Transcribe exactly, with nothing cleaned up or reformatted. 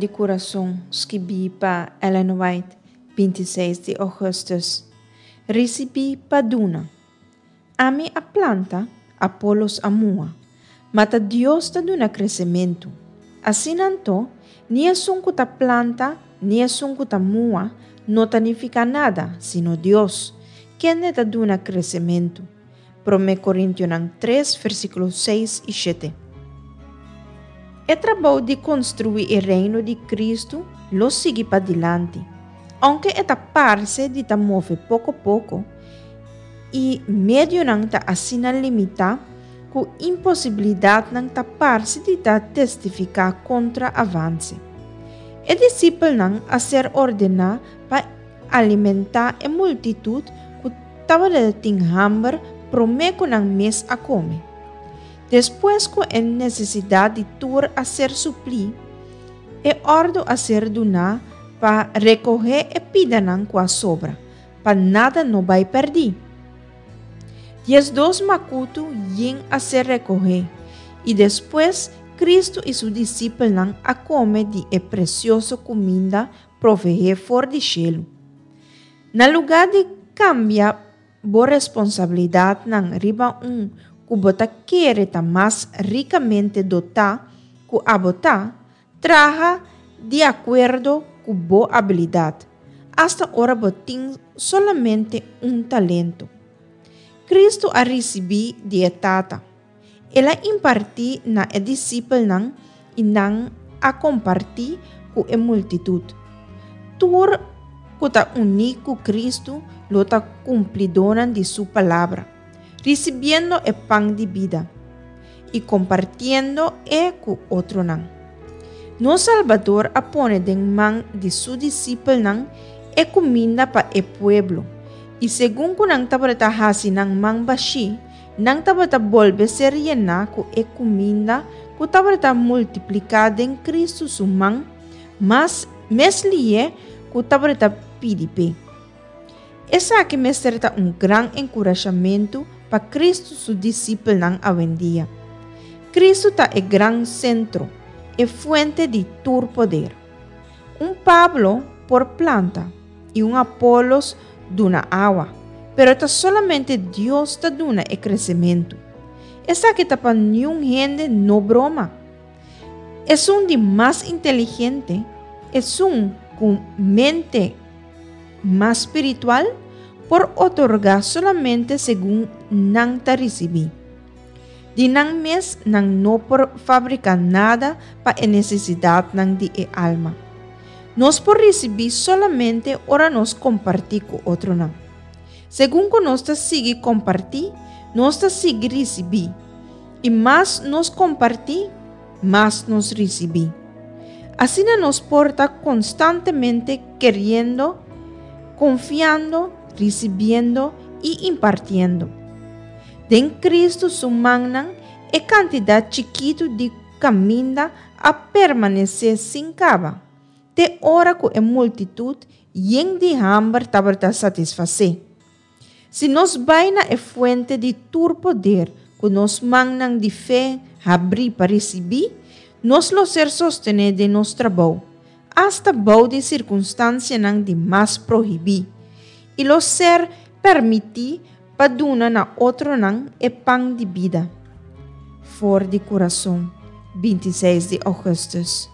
di Kurason, skibí pa Ellen White, binti seis di ougùstùs. Risibí pa duna. Ami a planta, Apolos a muha, ma ta Dios ta duna kresementu. Asina anto, ni esun ku ta planta, ni esun ku ta muha no ta nifiká nada, sino Dios, kende ta duna kresementu. Promé Korintionan tres, versíkulo seis i shete. E trabou di konstruí e reino di Kristu lo sigui padilanti, ounke e ta parse di ta move poko poko i medionan ta asina limitá ku imposibilidatnan ta parse di ta testifiká kontra avanse. E disipelnan a ser ordená pa alimentá e multitut ku tabatin hamber promé ku nan mes a kome. Despues ku e nesesidat di tur a ser suplí, e òrdu a ser duná pa rekohé e pidanan ku a sobra, pa nada no bai pèrdí. Diesdos makutu yen a ser rekohé, i despues Kristu i su disipelnan a kome di e presioso kuminda proveé for di shelu. Na lugá di kambia bo responsabilidatnan riba un ku bo ta kere ta mas rikamente dotá ku abo ta, traha di akuerdo ku bo abilidat, asta ora bo tin solamente un talento. Kristu a risibí di e Tata. El a impartí na e disipelnan i nan a kompartí ku e multitut. Tur ku ta uní ku Kristu lo ta kumplidónan di su palabra, risibiendo e pan di bida i kompartiendo e ku otronan. Nos Salbador a pone den man di su disipelnan e kuminda pa e pueblo, i segun ku nan tabata hasi nan man bashí, nan tabata bolbe ser yená ku e kuminda ku tabata multipliká den Kristu su man, mas mes lihé ku tabata pidi p'e. Esaki mester ta un gran enkurashamentu pa Kristu su disipelnan awendia. Kristu ta e gran sentro, e fuente di tur poder. Un Pablo por planta i un Apolos duna awa, pero ta solamente Dios ta duna e kresementu. Esaki ta pa niun hende no broma. Esun di mas inteligente, esun ku mente mas spiritual, por otorgá solamente segun nan ta risibí. Di nan mes nan no por fabriká nada pa e nesesidatnan di e alma. Nos por risibí solamente ora nos kompartí ku otronan. Segun ku nos ta sigui kompartí, nos ta sigui risibí. I mas nos kompartí, mas nos risibí. Asina nos por ta konstantemente keriendo, konfiando, risibiendo i impartiendo. Den Kristu su mannan, e kantidat chikitu di kuminda a permanesé sin kaba, te ora ku e multitut yen di hamber tabata satisfasé. Si nos bai na e fuente di tur poder ku nos mannan di fe habrí pa risibí, nos lo ser sostené den nos trabou, asta bou di sirkunstansianan di mas prohibí, i lo ser permití pa duna na otronan e pan di bida. For di Kurason, binti seis di ougùstùs.